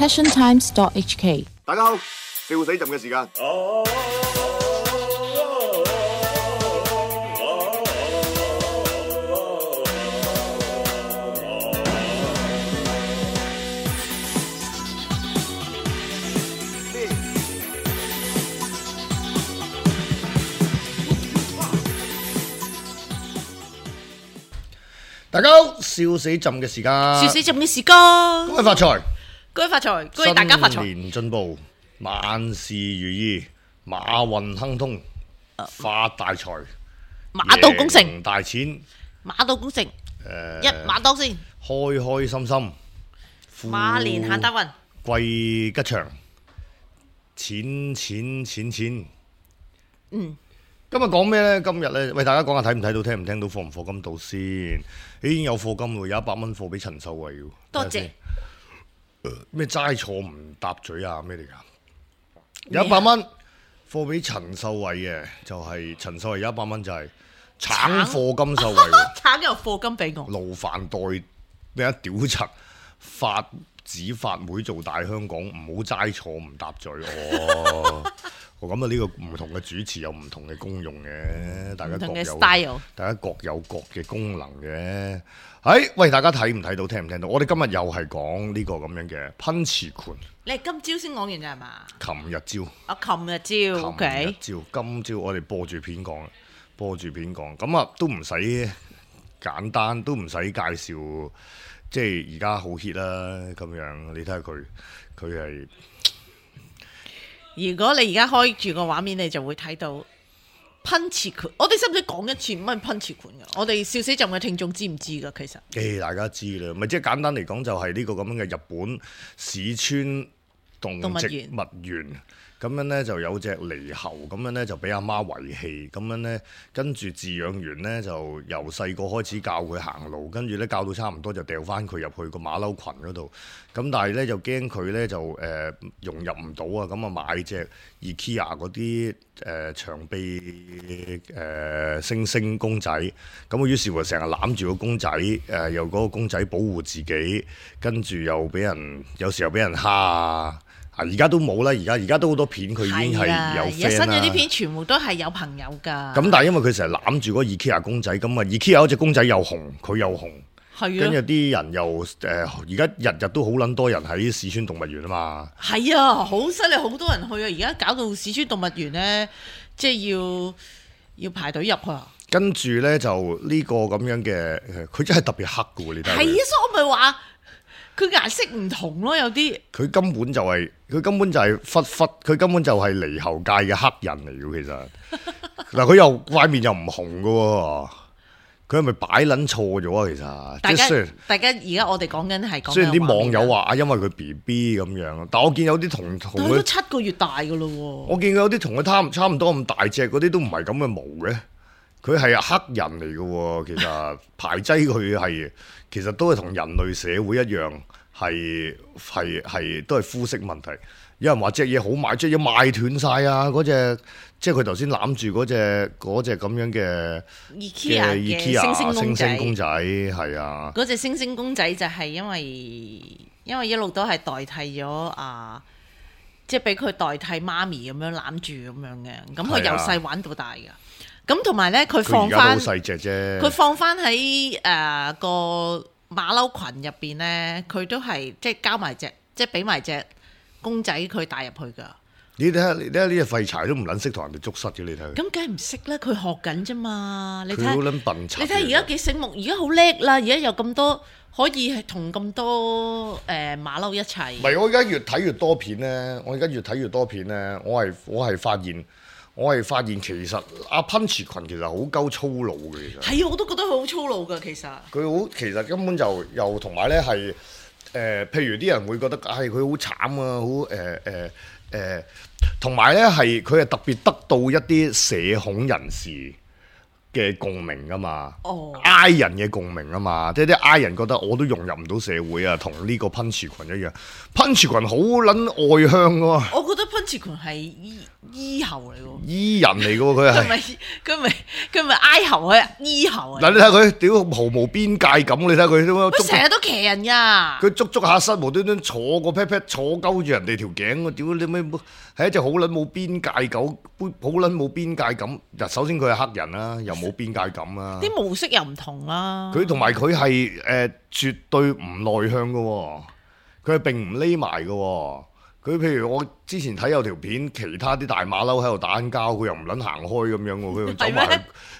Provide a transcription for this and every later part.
passiontimes.hk。大家好，笑死朕嘅時間。大家好，笑死朕嘅時間，笑死朕嘅時間，恭喜發財，恭喜發財，恭喜大家發財，新年進步，萬事如意，馬運亨通，發大財，馬到功成，贏大錢，馬到功成，一馬當先，開開心心，馬年行大運，貴吉祥，錢。今日講咩呢？今日呢，喂大家講下睇唔睇到，聽唔聽到，課唔課金到先？已經有課金喎，有100蚊貨俾陳秀慧喎。多謝。咩齋坐唔搭嘴啊？咩嚟㗎？有100蚊貨俾陳秀慧嘅，就係陳秀慧有100蚊就係橙課金秀慧喎。橙又課金俾我。勞煩代咩啊？屌柒法子法妹做大香港，唔好齋坐唔搭嘴哦。咁啊，呢個唔同嘅主持有唔同嘅功用嘅，大家各有 style， 大家各有各嘅功能嘅。喂，大家睇唔睇到，聽唔聽到？我哋今日又係講呢個咁樣嘅噴池盤。你係今朝先講完咋係嘛？琴日朝。琴日朝 ，OK。今朝我哋播住片講，咁啊都唔使簡單，都唔使介紹，即係而家好 hit 啦咁樣。你睇下佢係。如果你而家開住個畫面，你就會睇到噴池盤。我哋使唔使講一次乜噴池盤㗎？我哋笑死朕嘅聽眾知唔知㗎？其實，大家知啦，咪即係簡單嚟講，就係呢個咁樣嘅日本市川動植物園。咁樣呢就有隻獼猴，咁樣呢就俾阿媽遺棄，咁樣呢跟住飼養員呢就由細個開始教佢行路，跟住呢教到差唔多就掉翻佢入去個馬騮群嗰度，咁但係呢就驚佢呢就融入唔到啊，咁啊買隻 IKEA 嗰啲長臂猩猩公仔，咁啊於是乎成日攬住個公仔，又嗰個公仔保護自己，跟住又俾人有時候俾人蝦啊！而家都冇啦，而家都好多片，佢已經係有 friend 啦。而家新咗啲片全部都係有朋友㗎。咁但係因為佢成日攬住嗰個 IKEA 公仔，咁啊 IKEA 嗰隻公仔又紅，佢又紅。係跟住啲人又而家日日都好撚多人喺市川動物園啊嘛。係啊，好犀利，好多人去啊！而家搞到市川動物園咧，即係要排隊入去啊。跟住咧就呢個咁樣嘅，佢真係特別黑嘅喎，你睇。係啊，所以我咪話。佢顏色唔同咯，有啲佢根本就係忽，佢根本就係獼猴界嘅黑人嚟嘅，其實嗱佢又塊面又唔紅嘅喎，佢係咪擺撚錯咗啊？其實大家而家我哋講緊係講，雖然啲網友話因為佢 BB 咁樣，但我見有啲同佢都7個月大嘅咯喎，我見有啲同佢差唔多咁大隻嗰啲都唔係咁嘅毛嘅，佢係黑人嚟嘅喎，其實排擠佢係。其實都係同人類社會一樣，係都係膚色問題。有人話隻嘢好賣，隻嘢賣斷晒啊！嗰隻即係佢頭先攬住嗰隻咁樣嘅 IKEA 嘅猩猩公仔，係啊。嗰隻猩猩公仔就係因為一路都係代替咗即係俾佢代替媽咪咁樣攬住咁樣嘅。咁佢由細玩到大㗎。咁同埋咧，佢放翻，佢放翻喺個馬騮群入邊咧，佢都係即係交埋隻，即係俾埋隻公仔佢帶入去噶。你睇下呢隻廢柴都唔撚識同人哋捉虱嘅，你睇佢。咁梗係唔識啦，佢學緊啫嘛。佢好撚笨柒。你睇而家幾醒目，而家好叻啦，而家有咁多可以係同咁多馬騮一齊。唔係，我而家越睇越多片咧，我係發現其實阿噴池群其實好鳩粗魯嘅，其實係啊，我都覺得佢好粗魯㗎，其實根本就又同埋咧係譬如啲人會覺得佢好慘啊，好同埋咧係佢係特別得到一啲社恐人士嘅共鳴噶嘛哦，I 人嘅共鳴啊嘛，即係啲 I 人覺得我都融入唔到社會啊，同呢個噴池群一樣，噴池群好撚外向噶喎，我覺得噴池群係醫喉嚟喎。醫人嚟噶喎，佢係。佢咪哀喉啊，醫喉啊！嗱，你睇佢屌毫無邊界感，你睇佢點樣佢成日都騎人㗎。佢捉下身，無端端坐個 pat pat 坐鳩住人哋條頸，我屌你咩？係一隻好撚冇邊界狗，好撚冇邊界感。嗱，首先佢係黑人啦，又冇邊界感啦。啲模式又唔同啦。佢同埋佢係絕對唔內向嘅喎，佢係並唔匿埋嘅喎。佢譬如我之前睇有條片，其他啲大馬騮喺度打緊交，佢又唔撚行開咁樣喎，佢又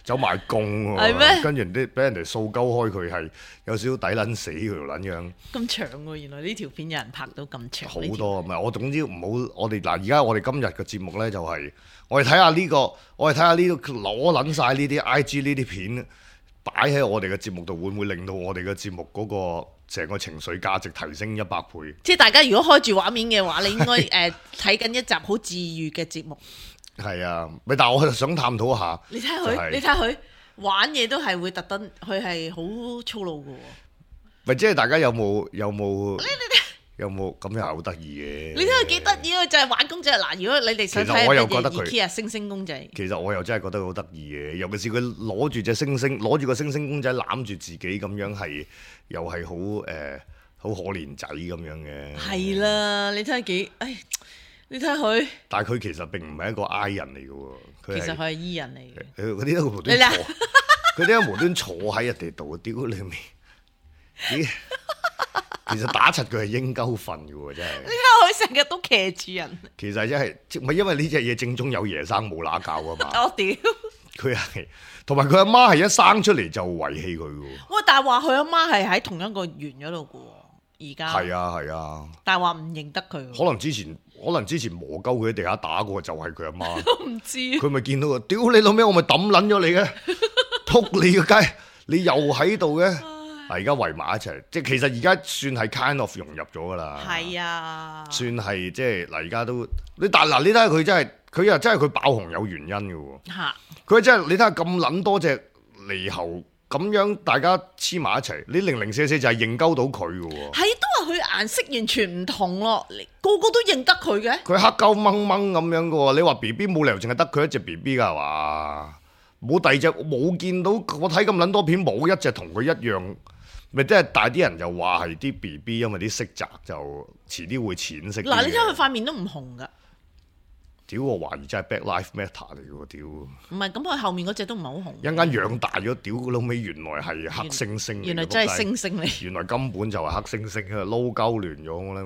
走埋共喎，跟住俾人哋掃鳩開，佢係有少少抵撚死佢條撚樣。咁長喎，原來呢條片有人拍到咁長。好多唔係我總之唔好，我哋嗱而家我哋今日嘅節目咧就係、我哋睇下呢個，我哋睇下呢個攞撚晒呢啲 IG 呢啲片擺喺我哋嘅節目度，會唔會令到我哋嘅節目嗰個成個情緒價值提升100倍？即係大家如果開住畫面嘅話，你應該睇緊一集好治愈嘅節目。係啊，咪但係我想探討下。你睇佢，你睇佢玩嘢都係會特登，佢係好粗魯嘅喎。咪即係大家有冇咁又係好得意嘅？你睇佢幾得意啊！就係玩公仔嗱，如果你哋想睇人哋 IKEA 星星公仔，其實我又真係覺得佢好得意嘅，尤其是佢攞住隻星星，攞住個星星公仔攬住自己咁樣，係又係好可憐仔咁樣嘅。係啦，你睇下幾，你睇下佢。但係佢其實並唔係一個 I 人嚟嘅喎，其實佢係 E 人嚟嘅。嗰啲都無端坐，佢啲無端坐喺人哋度，屌你面！其實打柒佢係應鳩瞓嘅喎，真係。你睇下佢成日都騎住人。其實真係唔係因為呢隻嘢正宗有爺生冇乸教啊嘛。我屌！佢係同埋佢阿媽係一生出嚟就遺棄佢嘅喎。喂，但係話佢阿媽係喺同一個園嗰度嘅喎，而家。係啊。但係話唔認得佢。可能之前磨鳩佢喺地下打過就係佢阿媽。都唔知。佢咪見到佢，屌你老味，我咪抌撚咗你嘅，撲你個街，你又喺度嘅。而家圍埋一齊，即係其實而家算係 kind of 融入咗噶啦。係啊，算係即係嗱，而家都你但嗱，你睇下佢真係，佢又真係佢爆紅有原因嘅喎。嚇！佢真係你睇下咁撚多隻獼猴咁樣，大家黐埋一齊，你零零舍舍就係認鳩到佢嘅喎。係都話佢顏色完全唔同咯，個個都認得佢嘅。佢黑鳩掹掹咁樣嘅喎，你話 B B 冇理由淨係得佢一隻 B B 㗎係嘛？冇第二隻，冇見到我睇咁撚多片，冇一隻同佢一樣。咪即係大啲人就話係啲 B B，因為啲色澤就遲啲會淺色。嗱，你睇佢塊面都唔紅噶。屌，我懷疑真係 Black Lives Matter 嚟嘅喎，屌。唔係，咁佢後面嗰隻都唔係好紅。一間養大咗，屌老尾原來係黑猩猩。原來真係猩猩嚟。原來根本就係黑猩猩，佢撈鳩亂咗啦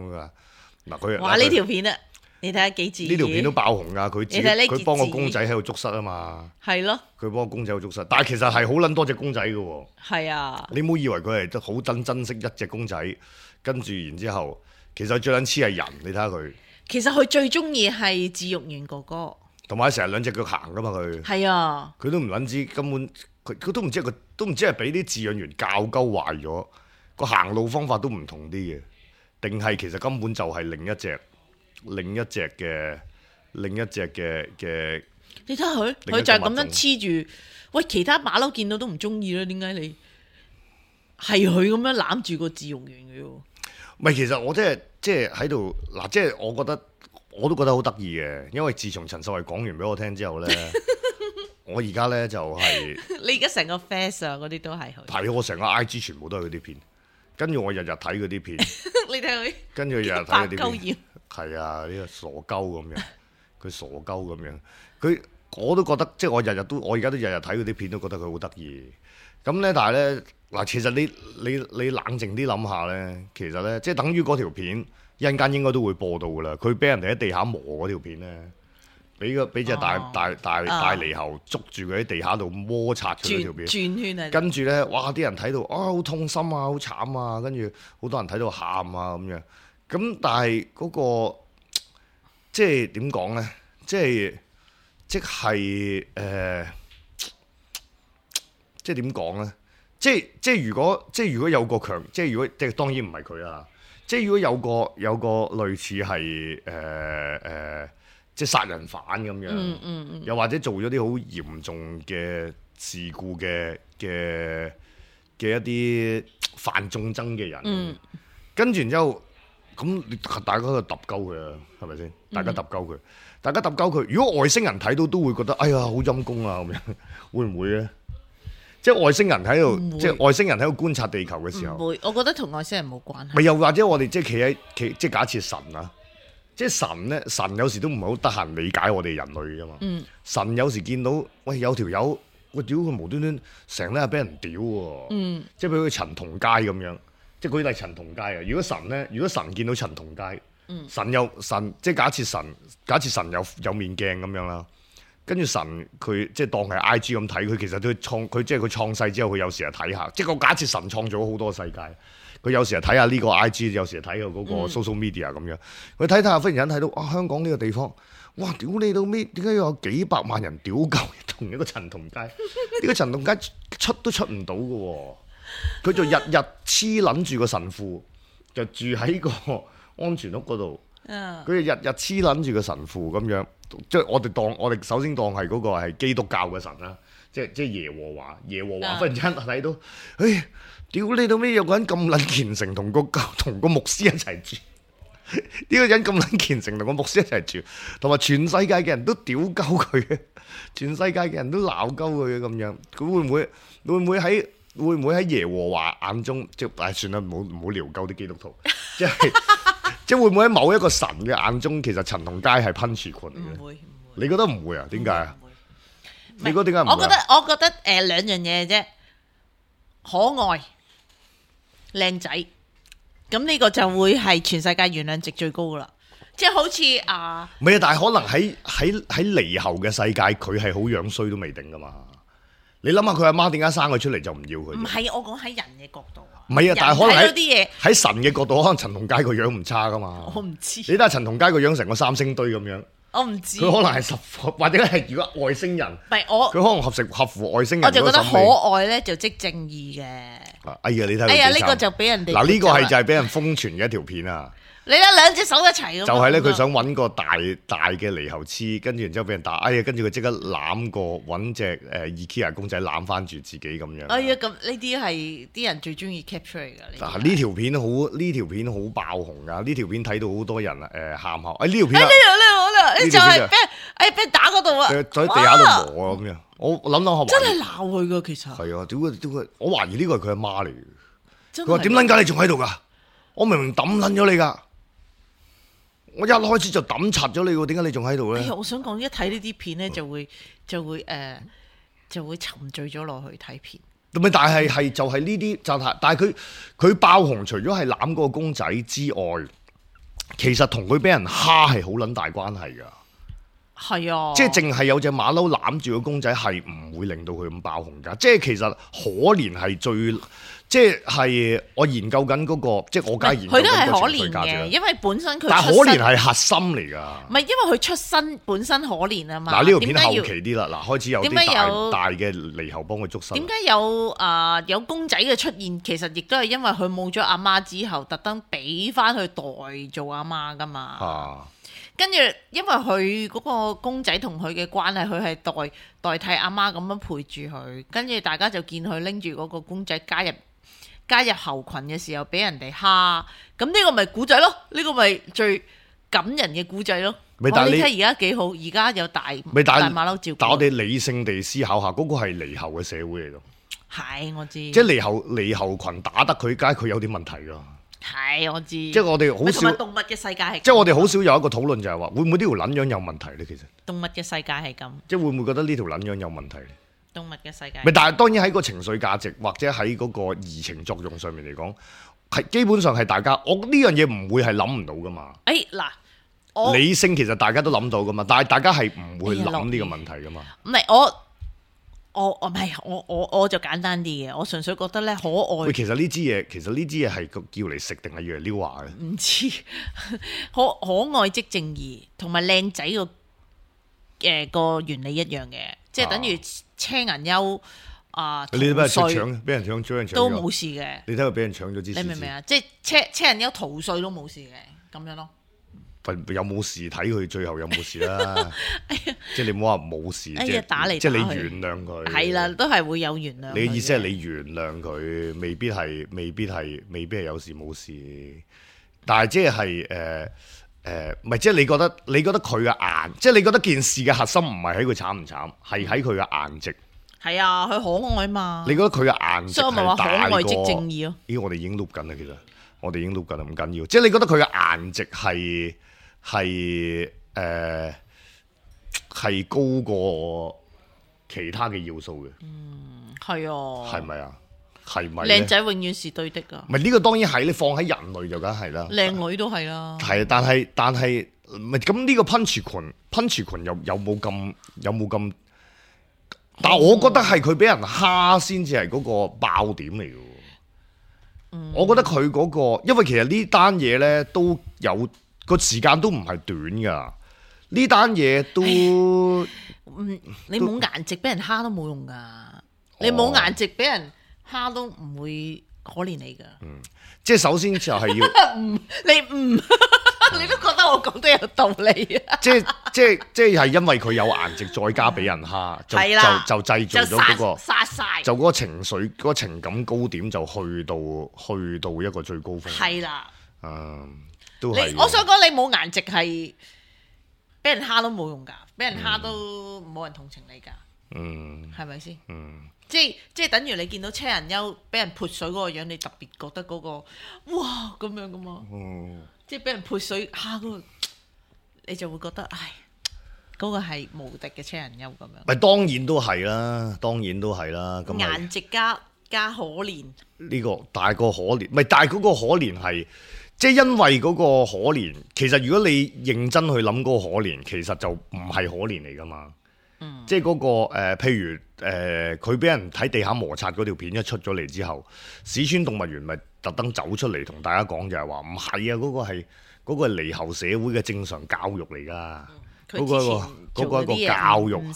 咁嗱佢。哇！呢條片啊！你睇下幾字？呢條片都爆紅㗎，佢幫個公仔喺度捉虱啊嘛。係咯。佢幫個公仔喺度捉虱，但係其實係好撚多隻公仔嘅喎。係啊。你唔好以為佢係好珍惜一隻公仔，跟住然之後，其實最撚黐係人，你睇下佢。其實佢最中意係自育員哥哥。同埋成日兩隻腳行㗎嘛佢。係啊。佢都唔撚知，根本佢都唔知係俾啲飼養員教鳩壞咗，個行路方法都唔同啲嘅，定係其實根本就係另一隻嘅，你睇下佢就係咁樣黐住，喂，其他馬騮見到都唔中意啦，點解你係佢咁樣攬住個自育員嘅喎？唔係，其實我即係喺度嗱，即係我都覺得好得意嘅，因為自從陳秀慧講完俾我聽之後咧，我而家咧就係你而家成個 face 啊嗰啲都係佢，係我成個 IG 全部都係佢啲片，跟住我日日睇佢啲片，你睇佢，跟住日日睇佢啲片。係啊，呢個傻鳩咁樣，佢傻鳩咁樣，我都覺得，即係我而家都日日睇佢啲片，都覺得佢好得意。咁咧，但係咧嗱，其實你冷靜啲諗下咧，其實咧，即係等於嗰條片一陣間應該都會播到噶啦。佢俾人哋喺地下磨嗰條片咧，俾隻大獼猴捉住佢喺地下度摩擦佢嗰條片，轉圈啊！跟住咧，哇！啲人睇到好痛心啊，好慘啊，跟住好多人睇到喊啊咁樣。咁但係嗰個即係點講咧？即係點講咧？即係如果有個強，即係如果即係當然唔係佢啦。即係如果有個類似係即係殺人犯咁樣，又或者做咗啲好嚴重嘅事故嘅一啲犯眾憎嘅人，跟住然之後咁大家都揼鳩佢啊，係咪先？大家揼鳩佢，如果外星人睇到都會覺得哎呀好陰公啊咁樣，會唔會咧？即係外星人喺度，即係外星人喺度觀察地球嘅時候，唔會，我覺得同外星人冇關係。咪又或者我哋即係企即係假設神啊，即係神咧，神有時都唔係好得閒理解我哋人類噶嘛。神有時見到喂有條友，喂屌佢無端端成日俾人屌喎，即係譬如陳同佳咁樣，即係舉例陳同佳啊。如果神見到陳同佳，神即係假設神有面鏡咁樣啦。跟住神佢即係當係 IG 咁睇，佢其實都佢即係佢創世之後，佢有時係睇下，即係個假設神創造咗好多世界，佢有時係睇下呢個 IG，有時係睇下嗰個 social media 咁樣。佢睇下，忽然間睇到香港呢個地方，哇！屌你到尾，點解有幾百萬人屌鳩同一個陳同佳？呢個陳同佳出都出唔到嘅喎，佢就日日黐撚住個神父，就住喺個安全屋嗰度。佢日日黐撚住個神父咁樣。即係我哋首先當係嗰個係基督教嘅神啦，即係耶和華忽然之間睇到，屌你到尾有個人咁撚虔誠同個牧師一齊住，呢個人咁撚虔誠同個牧師一齊住，同埋全世界嘅人都屌鳩佢，全世界嘅人都鬧鳩佢咁樣，佢會唔會喺耶和華眼中即係算啦，唔好撩鳩啲基督徒，即係會唔會喺某一個神嘅眼中，其實陳同佳係噴泉嚟嘅？唔會。你覺得唔會啊？點解啊？你覺得點解唔會？我覺得兩樣嘢啫，可愛、靚仔，咁呢個就會係全世界原諒值最高噶啦。即係好似唔係啊，但係可能喺離後嘅世界，佢係好樣衰都未定噶嘛。你諗下佢阿媽點解生佢出嚟就唔要佢？唔係，我講喺人嘅角度。唔係啊，但係可能喺神嘅角度，可能陳同佳個樣唔差噶嘛。我唔知。你睇下陳同佳個樣成個三星堆咁樣。我唔知。佢可能係或者係如果外星人。唔係佢可能合乎外星人。我就覺得可愛咧就即正義嘅。哎呀，你睇。哎呀，呢個就俾人哋。嗱，呢個係就係俾人瘋傳嘅一條片啊！你睇兩隻手一齊咁。就係咧，佢想揾個大嘅獼猴黐，跟住然之後俾人打，哎呀，跟住佢即刻攬過揾隻IKEA 公仔攬翻住自己咁樣。哎呀，咁呢啲係啲人最中意 capture 嚟㗎。嗱，呢條片好爆紅㗎，呢條片睇到好多人喊下。呢條片呢就係俾人打嗰度啊！喺地下度磨啊咁樣。我諗真係鬧佢㗎，其實。係啊，屌佢！我懷疑呢個係佢阿媽嚟嘅。佢話點撚解你仲喺度㗎？我明明抌撚咗你㗎。我一開始就抌柒咗你喎，點解你仲喺度咧？我想講，一睇呢啲片咧，就會沉醉咗落去睇片。咪但係就係呢啲就係，但係佢爆紅，除咗係攬嗰個公仔之外，其實同佢俾人蝦係好撚大關係㗎。係啊，即係淨係有隻馬騮攬住個公仔，係唔會令到佢咁爆紅㗎。即係其實可憐係最。即係我研究緊嗰個，即係我梗係研究緊個情緒價值。佢都係可憐嘅，因為本身佢。但係可憐係核心嚟㗎。唔係因為佢出身本身可憐啊嘛。嗱，呢條片後期啲啦，開始有啲大嘅獼猴幫佢捉身。點解有公仔嘅出現？其實亦都係因為佢冇咗阿媽之後，特登俾翻佢代做阿媽㗎嘛。跟住，因為佢嗰個公仔同佢嘅關係，佢係代替阿媽咁樣陪住佢。跟住大家就見佢拎住嗰個公仔加入猴群嘅時候，俾人哋蝦。咁呢個咪古仔咯？呢個咪最感人嘅古仔咯。你睇而家幾好，而家有大馬騮照顧。但我哋理性地思考下，嗰個係獼猴嘅社會嚟咯。係，我知。即係獼猴群打得佢，梗係佢有啲問題㗎。係，我知。即係我哋好少動物嘅世界係。即係我哋好少有一個討論，就係話會唔會呢條撚樣有問題咧？其實動物嘅世界係咁。即係會唔會覺得呢條撚樣有問題？動物嘅世界，但係當然喺個情緒價值或者喺嗰個移情作用上面嚟講，係基本上係大家，我呢樣嘢唔會係諗唔到噶嘛。嗱，理性其實大家都諗到噶嘛，但係大家係唔會諗呢個問題噶嘛。唔係我就簡單啲嘅，我純粹覺得咧可愛。喂，其實呢支嘢係叫嚟食定係要嚟撩話嘅？唔知可愛即正義，同埋靚仔個原理一樣嘅。即係等於車銀優你俾人搶，俾人搶都冇事嘅。你睇佢俾人搶咗支，你明唔明啊？即係車銀優逃稅都冇事嘅，咁樣咯。有冇事睇佢最後有冇事啦。即係你唔好話冇事，打嚟即係你原諒佢。係啦，都係會有原諒。你嘅意思係你原諒佢，未必係有事冇事。但係即係唔係即係你覺得佢嘅顏，即係你覺得件事嘅核心唔係喺佢慘唔慘，係喺佢嘅顏值。係啊，佢可愛嘛。你覺得佢嘅顏值所以我咪話可愛即正義咯。咦，我哋已經錄緊啦，其實我哋已經錄緊啦，唔緊要。即係你覺得佢嘅顏值係高過其他嘅要素嘅。係啊。係咪啊？係咪？靚仔永遠是對的㗎。唔係呢個當然係，你放喺人類就梗係啦。靚女都係啦。係，但係唔係咁呢個噴泉有冇咁？但係我覺得係佢俾人蝦先至係嗰個爆點嚟嘅。我覺得佢嗰個，因為其實呢單嘢咧都有個時間都唔係短㗎。呢單嘢都你冇顏值俾人蝦都冇用㗎。你冇顏值俾人蝦都唔會可憐你㗎。即係首先就係要你都覺得我講得有道理啊！即係因為佢有顏值，再加俾人蝦，就製造咗嗰個殺晒，就嗰個情緒、嗰個情感高點就去到一個最高峰。係啦，都係。我想講你冇顏值係俾人蝦都冇用㗎，俾人蝦都冇人同情你㗎。係咪先？即係等於你見到車人優俾人潑水嗰個樣，你特別覺得嗰個哇咁樣㗎嘛。即係俾人潑水蝦嗰個，你就會覺得唉，嗰個係無敵嘅車人優咁樣。咪當然都係啦，咁顏值加可憐呢個大個可憐，咪但係嗰個可憐係即係因為嗰個可憐，其實如果你認真去諗嗰個可憐，其實就唔係可憐嚟㗎嘛。即係嗰個譬如佢俾人喺地下摩擦嗰條片一出咗嚟之後，史村動物園咪特登走出嚟同大家講就係話唔係啊，嗰個係離後社會嘅正常教育嚟㗎。嗰個一個教育，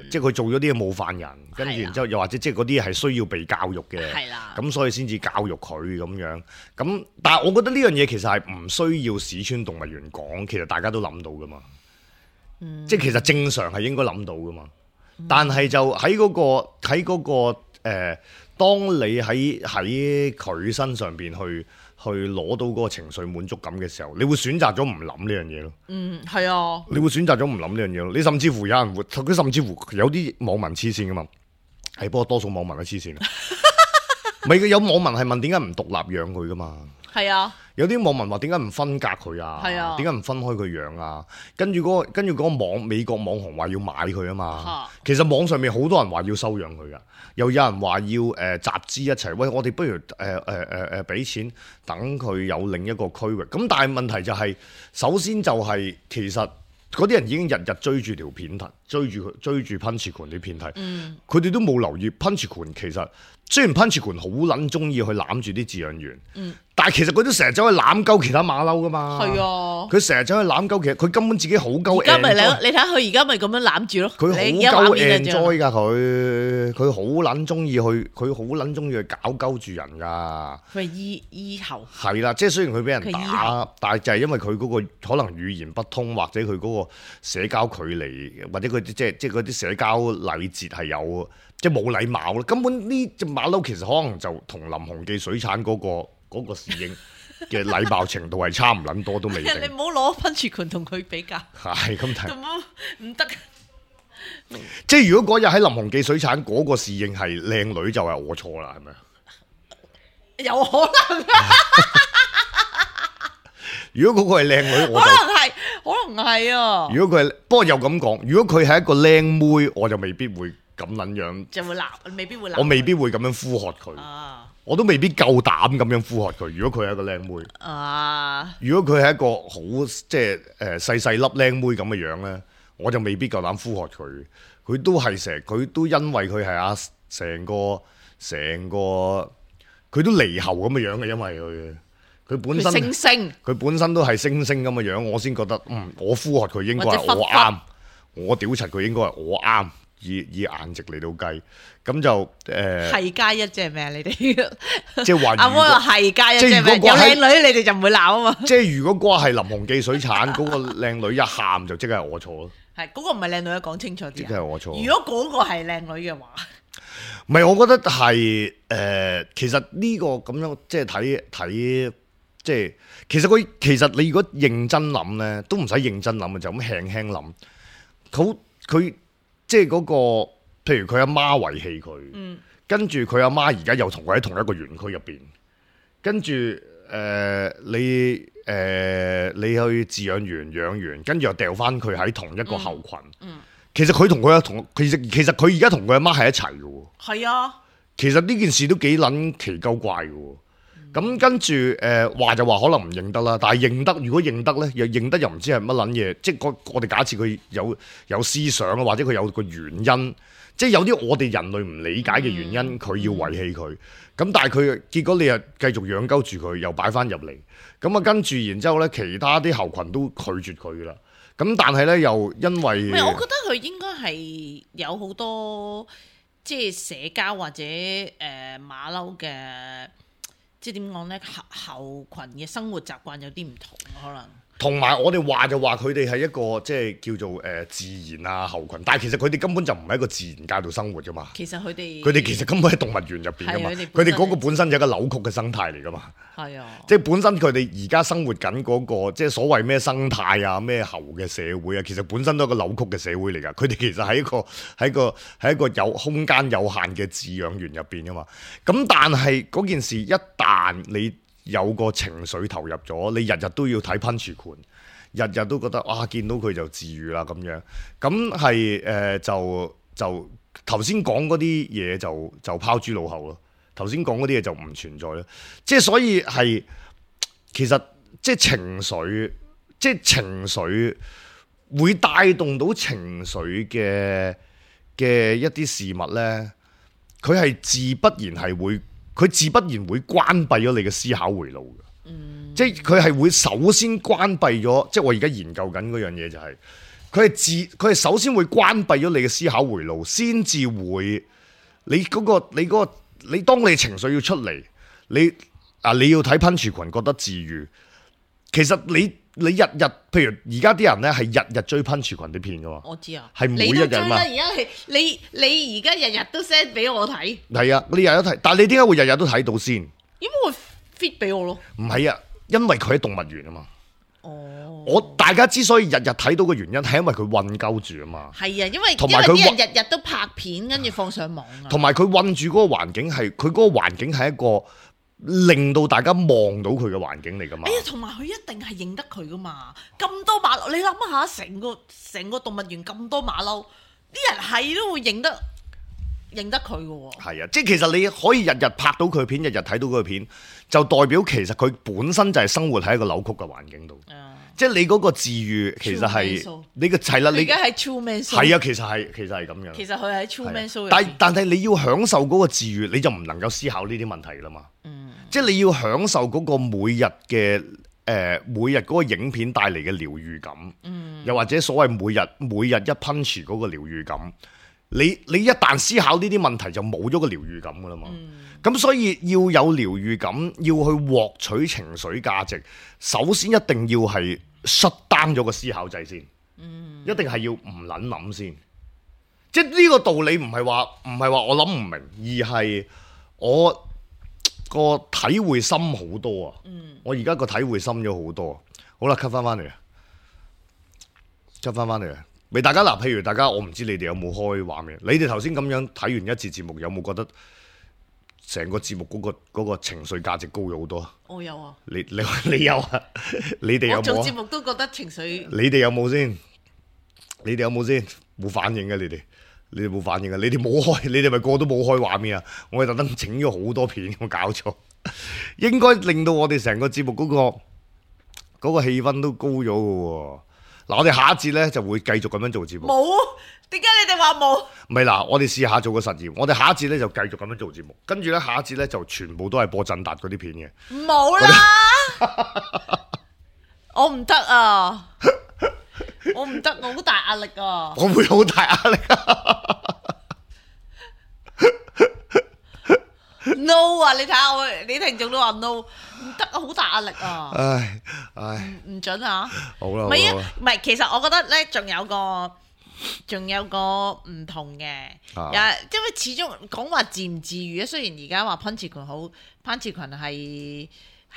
即係佢做咗啲嘢冒犯人，跟住然之後又或者即係嗰啲係需要被教育嘅，咁所以先至教育佢咁樣。咁但係我覺得呢樣嘢其實係唔需要史村動物園講，其實大家都諗到㗎嘛。即係其實正常係應該諗到㗎嘛，但係就喺嗰個當你喺佢身上邊去攞到嗰個情緒滿足感嘅時候，你會選擇咗唔諗呢樣嘢咯。係啊。你會選擇咗唔諗呢樣嘢咯。你甚至乎有人會，佢甚至乎有啲網民黐線㗎嘛。係，不過多數網民都黐線。咪有網民係問點解唔獨立養佢㗎嘛？係啊。有啲網民話點解唔分隔佢啊？點解唔分開佢養啊？跟住嗰個美國網紅話要買佢啊嘛。其實網上面好多人話要收養佢噶，又有人話要集資一齊，喂，我哋不如俾錢等佢有另一個區域。咁但係問題就係，首先就係其實嗰啲人已經日日追住條片睇，追住噴泉啲片睇，佢哋都冇留意噴泉其實。雖然噴泉好撚中意去攬住啲飼養員，但係其實佢都成日走去攬鳩其他馬騮噶嘛。係啊，佢成日走去攬鳩，其實佢根本自己好鳩。而家咪你睇下佢而家咪咁樣攬住咯。佢好鳩 enjoy 㗎，佢好撚中意去，佢好撚中意去搞鳩住人㗎。佢係醫喉。係啦，即係雖然佢俾人打，但係就係因為佢嗰個可能語言不通，或者佢嗰個社交距離，或者佢即係嗰啲社交禮節係有。即係冇禮貌咯，根本呢隻馬騮其實可能就同林鴻記水產嗰個侍應嘅禮貌程度係差唔撚多都未定。你唔好攞噴泉群同佢比較。係咁睇。唔得。即係如果嗰日喺林鴻記水產嗰個侍應係靚女，就係我錯啦，係咪啊？有可能。如果嗰個係靚女，我就可能係啊。如果佢係，不過又咁講，如果佢係一個靚妹，我就未必會。咁撚樣就會鬧，未必會鬧。我未必會咁樣呼喝佢，我都未必夠膽咁樣呼喝佢。如果佢係一個靚妹，如果佢係一個好即係細細粒靚妹咁嘅樣咧，我就未必夠膽呼喝佢。佢都係佢都因為佢係成個佢都獼猴咁嘅樣嘅，因為佢本身佢本身都係猩猩咁嘅樣，我先覺得我呼喝佢應該係我啱，我屌柒佢應該係我啱。以顏值嚟到計，咁就係加一即係咩啊？你哋即係話阿摩話係加一即係咩？即係如果有靚女你哋就唔會鬧啊嘛。即係如果嗰個係林鴻記水產嗰個靚女一喊就即係我錯咯。係嗰個唔係靚女，講清楚啲。即係我錯。如果嗰個係靚女嘅話，唔係，我覺得係其實呢個咁樣即係睇，即係其實你如果認真諗咧，都唔使認真諗嘅，就咁輕輕諗。佢即係嗰個，譬如佢阿媽遺棄佢，跟住佢阿媽而家又同佢喺同一個園區入邊，跟住你去飼養員養完，跟住又掉翻佢喺同一個後群。其實佢同佢其實佢而家同佢阿媽係一齊嘅喎。係啊，其實呢件事都幾撚奇鳩怪嘅喎。咁跟住話就話可能唔認得啦，但係認得，如果認得咧，又認得又唔知係乜撚嘢。即係我哋假設佢有思想啊，或者佢有個原因，即係有啲我哋人類唔理解嘅原因，佢要遺棄佢。咁但係佢結果你又繼續養鳩住佢，又擺翻入嚟。咁啊跟住然之後咧，其他啲後群都拒絕佢啦。咁但係咧又因為，我覺得佢應該係有好多即係社交或者馬騮嘅，即係點講咧？後群嘅生活習慣有啲唔同，可能。同埋我哋話就話佢哋係一個即係叫做自然啊後群，但係其實佢哋根本就唔係一個自然界度生活噶嘛。其實佢哋其實根本喺動物園入邊噶嘛。佢哋嗰個本身就係一個扭曲嘅生態嚟噶嘛。係啊，即係本身佢哋而家生活緊嗰個即係所謂咩生態啊咩猴嘅社會啊，其實本身都係一個扭曲嘅社會嚟㗎。佢哋其實喺一個有空間有限嘅飼養園入邊㗎嘛。咁但係嗰件事一旦你有個情緒投入咗，你日日都要睇噴泉盤，日日都覺得哇見到佢就治癒啦咁樣，咁係就頭先講嗰啲嘢就拋諸腦後咯。頭先講嗰啲嘢就唔存在啦，即係所以係其實即係情緒會帶動到情緒嘅一啲事物咧，佢係自不然會關閉咗你嘅思考回路嘅。即係佢係會首先關閉咗，即係我而家研究緊嗰樣嘢就係佢係首先會關閉咗你嘅思考回路，先至會你當你情緒要出嚟，你要睇噴泉群覺得治癒，其實你日日，譬如而家啲人咧係日日追噴泉群啲片噶嘛，我知啊，係每一日嘛。而家係你而家日日都 send 俾我睇，係啊，你日日都睇，但係你點解會日日都睇到先？點解會 fit 俾我咯？唔係啊，因為佢喺動物園啊嘛。大家之所以日日睇到嘅原因係因為佢韞鳩住啊嘛。係啊，因為啲人日日都拍片跟住放上網啊。同埋佢韞住嗰個環境係，佢嗰個環境係一個令到大家望到佢嘅環境嚟噶嘛。同埋佢一定係認得佢噶嘛。咁多馬騮，你諗下，成個動物園咁多馬騮，啲人係都會認得佢噶喎。係啊，即係其實你可以日日拍到佢片，日日睇到佢片，就代表其實佢本身就係生活喺一個扭曲嘅環境度。即係你嗰個治癒其實係你個係啦，你而家喺 Truman Show 係啊，其實係咁樣。其實佢喺 Truman Show 入邊，但係你要享受嗰個治癒，你就唔能夠思考呢啲問題啦嘛。即係你要享受嗰個每日嗰個影片帶嚟嘅療癒感，又或者所謂每日一 punch 嗰個療癒感。你一旦思考呢啲問題，就冇咗個療癒感噶啦嘛。咁所以要有療癒感，要去獲取情緒價值，首先一定要係 shut down 咗個思考掣先。一定係要唔諗先。即係呢個道理唔係話我諗唔明，而係我個體會深好多啊。我而家個體會深咗好多。好啦，cut 翻嚟啊，cut 翻嚟啊。俾大家嗱，譬如大家，我唔知你哋有冇開畫面？你哋頭先咁樣睇完一節節目，有冇覺得成個節目嗰個情緒價值高咗好多？我有啊。你有啊？你哋有冇？我做節目都覺得情緒。你哋有冇先？冇反應嘅你哋冇反應嘅，你哋冇開，你哋咪個個都冇開畫面啊！我係特登整咗好多片，我搞錯，應該令到我哋成個節目嗰個氣氛都高咗嘅喎。嗱，我哋下一節咧就會繼續咁樣做節目。冇，點解你哋話冇？唔係嗱，我哋試下做個實驗。我哋下一節咧就繼續咁樣做節目，跟住咧下一節咧就全部都係播振達嗰啲片嘅。冇啦，我唔得啊，我唔得，我好大壓力啊！我會好大壓力啊！ no 啊！你睇下我，你聽眾都話 no， 唔得啊，好大壓力啊！唉，唔準啊！好啦，唔係啊，唔係，其實我覺得咧，仲有個唔同嘅，因為始終講話治唔治愈咧。雖然而家話潘志群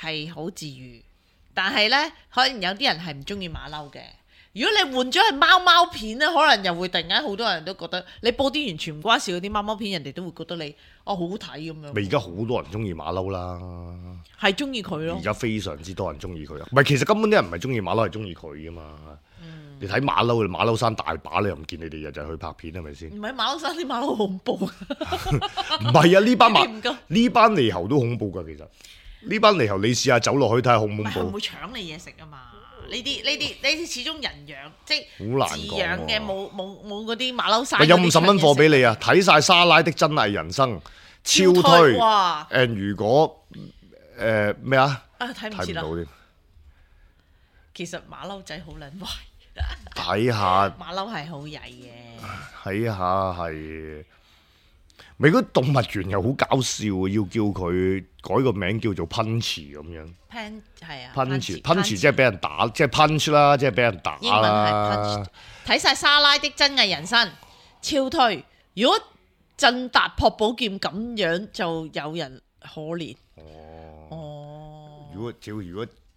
係好治愈，但係咧，可能有啲人係唔中意馬騮嘅。如果你換咗係貓片咧，可能又會突然間好多人都覺得你播啲完全唔關事嗰啲貓片，人哋都會覺得你好好睇咁樣。咪而家好多人中意馬騮啦，係中意佢咯。而家非常之多人中意佢啊！唔係，其實根本啲人唔係中意馬騮，係中意佢噶嘛。你睇馬騮山大把，你又唔見你哋日日去拍片係咪先？唔係馬騮山啲馬騮好恐怖。唔係啊，呢班獼猴都恐怖㗎，其實呢班獼猴你試下走落去睇下恐唔恐怖？唔會搶你嘢食啊嘛！呢啲始終人養，即係好難自養嘅，冇嗰啲馬騮山。有50蚊貨俾你啊！睇晒莎拉的真偽人生，超推。哇！如果咩啊？睇唔到添。其實馬騮仔好撚壞。睇下馬騮係好曳嘅，睇下係咪嗰動物園又好搞笑，要叫佢改個名叫做 Punch 咁樣。係啊 ，Punch 即係俾人打，即係 punch 啦，即係俾人打啦。英文係 punch。睇晒莎拉的真偽人生，超推。如果振達朴寶劍咁樣，就有人可憐。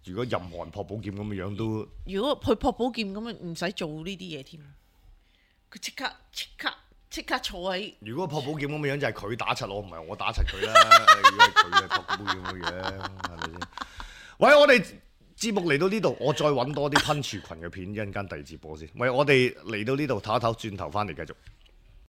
如果任何人朴寶劍咁嘅樣都，如果佢朴寶劍咁樣唔使做呢啲嘢添，佢即刻坐喺。如果朴寶劍咁嘅樣就係佢打柒我，唔係我打柒佢啦。如果係佢係朴寶劍咁嘅樣，係咪先？喂，我哋節目嚟到呢度，我再揾多啲噴廚群嘅片，一陣間第二節播先。喂，我哋嚟到呢度唞一唞，轉頭翻嚟繼續。